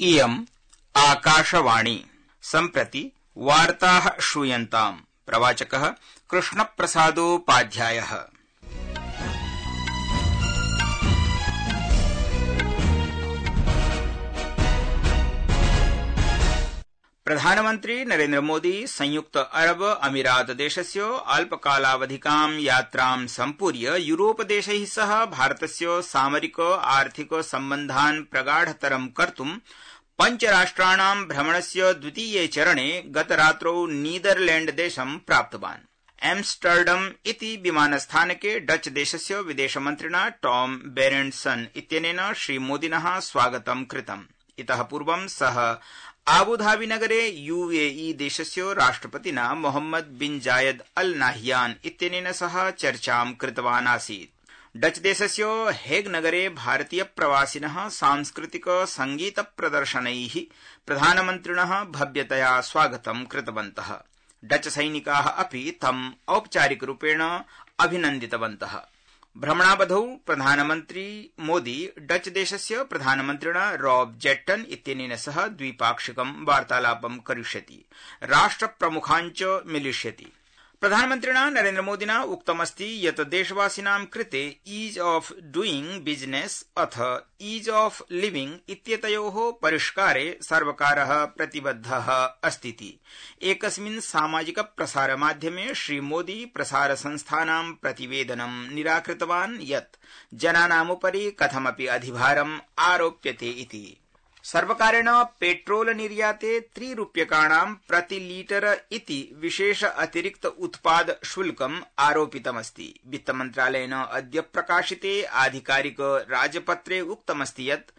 इयम् आकाशवाणी सम्प्रति वार्ताः श्रूयन्ताम्। प्रवाचकः कृष्णप्रसादोपाध्यायः। प्रधानमन्त्री नरेन्द्र मोदी संयुक्त अरब अमीरात देशस्य अल्पकालावधिकां यात्रां सम्पूर्य यूरोपदेशैः सह भारतस्य सामरिक आर्थिक सम्बन्धान् प्रगाढतरं कर्तुं पञ्चराष्ट्राणां भ्रमणस्य द्वितीये चरणे गतरात्रौ नीदरलैण्डदेशं प्राप्तवान्। एम्स्टर्डम इति विमानस्थानके डच देशस्य विदेशमन्त्रिणा टॉम बेरेण्डसन इत्यनेन श्रीमोदिनः स्वागतं कृतम्। इतः पूर्वं सः आबुधाबीनगरे यूएई देशस्य राष्ट्रपतिना मोहम्मद बिन जायद अल नाह्यान इत्यनेन सह चर्चां कृतवान् आसीत्। डच देशस्य हेग नगरे भारतीय प्रवासिनः सांस्कृतिक संगीत प्रदर्शनैः प्रधानमन्त्रिणः भव्यतया स्वागतं कृतवन्तः। डच सैनिकाः अपि तम् औपचारिकरूपेण अभिनन्दितवन्तः। भ्रमणावधौ प्रधानमन्त्री मोदी डच देशस्य प्रधानमन्त्रिणा रॉब जेट्टन इत्यनेन सह द्विपाक्षिकं वार्तालापं करिष्यति, राष्ट्रप्रमुखान् च मिलिष्यति। प्रधानमन्त्रिणा नरेन्द्र मोदिना उक्तमस्ति यत् देशवासिनां कृते ईज ऑफ डूइंग बिजनेस अथ ईज ऑफ लिविंग इत्येतयोः परिष्कारे सर्वकारः प्रतिबद्धः अस्तीति। एकस्मिन् सामाजिक प्रसारमाध्यमे श्रीमोदी प्रसारसंस्थानां प्रतिवेदनं निराकृतवान् यत् जनानामुपरि कथमपि अधिभारम् आरोप्यते इति। सर्वकारेण पेट्रोल निर्याते 3 रूप्यकाणां प्रति लीटर इति विशेष अतिरिक्त उत्पाद शुल्कम् आरोपितमस्ति। वित्तमन्त्रालयेन अद्य प्रकाशिते आधिकारिक राजपत्रे उक्तमस्ति यत्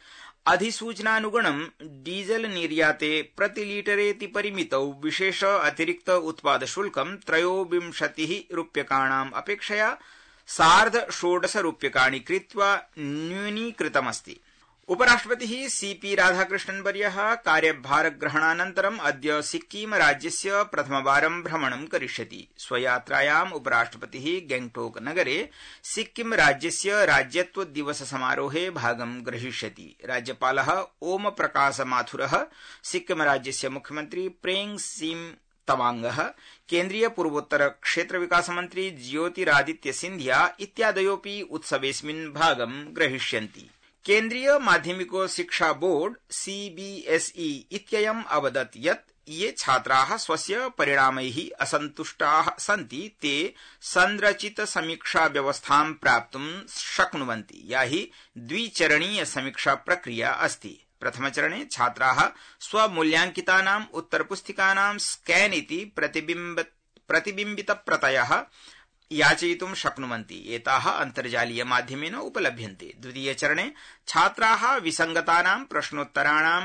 अधिसूचनानुगुणं डीजल निर्याते प्रति लीटरेति परिमितौ विशेष अतिरिक्त उत्पाद शुल्कं 23 रूप्यकाणाम् अपेक्षया 16.5 रूप्यकाणि कृत्वा न्यूनीकृतमस्ति। उपराष्ट्रपतिः सीपी राधाकृष्णन्वर्यः कार्यभारग्रहणानन्तरम् अद्य सिक्किम राज्यस्य प्रथमवारं भ्रमणं करिष्यति। स्वयात्रायाम् उपराष्ट्रपतिः गैंगटोक नगरे सिक्किम राज्यस्य राज्यत्व दिवस समारोहे भागं ग्रहीष्यति। राज्यपालः ओम प्रकाश माथुरः, सिक्किम राज्यस्य मुख्यमन्त्री प्रेम सिंह तवांगः, केन्द्रीय पूर्वोत्तर क्षेत्र विकास मन्त्री ज्योतिरादित्य सिंधिया इत्यादयोऽपि उत्सवेऽस्मिन् भागं ग्रहीष्यन्ति। केन्द्रीय माध्यमिक शिक्षा बोर्ड सीबीएसई इत्ययम् अवदत् यत् ये छात्राः स्वस्य परिणामैः असन्तुष्टाः सन्ति ते संरचित समीक्षा व्यवस्थां प्राप्तुं शक्नुवन्ति, या हि द्विचरणीय समीक्षा प्रक्रिया अस्ति। प्रथमचरणे छात्राः स्वमूल्यांकितानाम् उत्तरपुस्तिकानां स्कैन इति प्रतिबिम्बितप्रतयः याचयितुं शक्नुवन्ति। एताः अन्तर्जालीय माध्यमेन उपलभ्यन्ते। द्वितीयचरणे छात्राः विसङ्गतानां प्रश्नोत्तराणां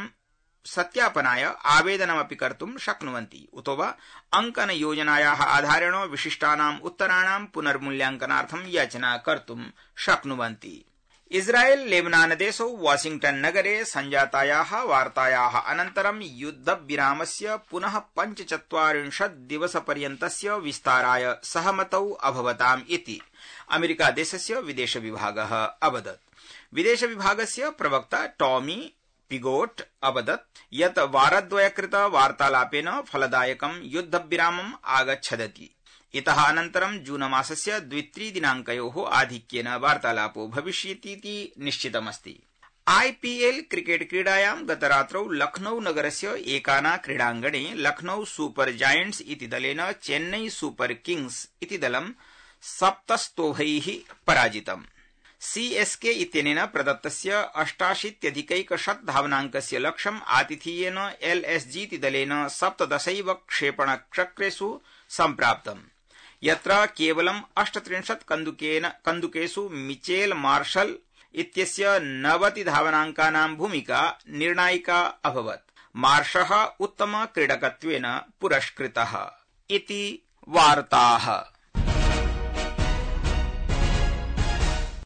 सत्यापनाय आवेदनमपि कर्तुं शक्नुवन्ति, उतो वा अङ्कनयोजनायाः आधारेण विशिष्टानाम् उत्तराणां पुनर्मूल्यांकनार्थं याचना कर्तुं शक्नुवन्ति। इस्राएल लेबनान देशौ वाशिंग्टन नगरे सञ्जातायाः वार्तायाः अनन्तरं युद्धविरामस्य पुनः 45 दिवसपर्यन्तस्य विस्ताराय सहमतौ अभवताम् इति अमेरिका देशस्य विदेश विभागः अवदत्। विदेश विभागस्य प्रवक्ता टॉमी पिगोट अवदत् यत् वारद्वयकृत वार्तालापेन फलदायकं युद्धविरामम् आगच्छदति। इतः अनन्तरं जूनमासस्य 2-3 दिनाङ्कयोः आधिक्येन वार्तालापो भविष्यतीति निश्चितमस्ति। आईपीएल क्रिकेट क्रीडायां गतरात्रौ लखनऊ नगरस्य एकाना क्रीडाङ्गणे लखनऊ सुपर जायंट्स इति दलेन चेन्नई सुपर किंग्स इति दलं 7 स्तोभैः पराजितम्। सीएसके इत्यनेन प्रदत्तस्य 88+100 धावनाङ्कस्य लक्ष्यम् आतिथेयेन एलएसजी इति दलेन 17 क्षेपणचक्रेषु सम्प्राप्तम्, यत्र केवलं 38 कन्दुकेषु मिचेल मार्शल इत्यस्य 90 धावनाङ्कानां भूमिका निर्णायिका अभवत्। मार्शः उत्तम क्रीडकत्वेन पुरस्कृतः इति वार्ताः।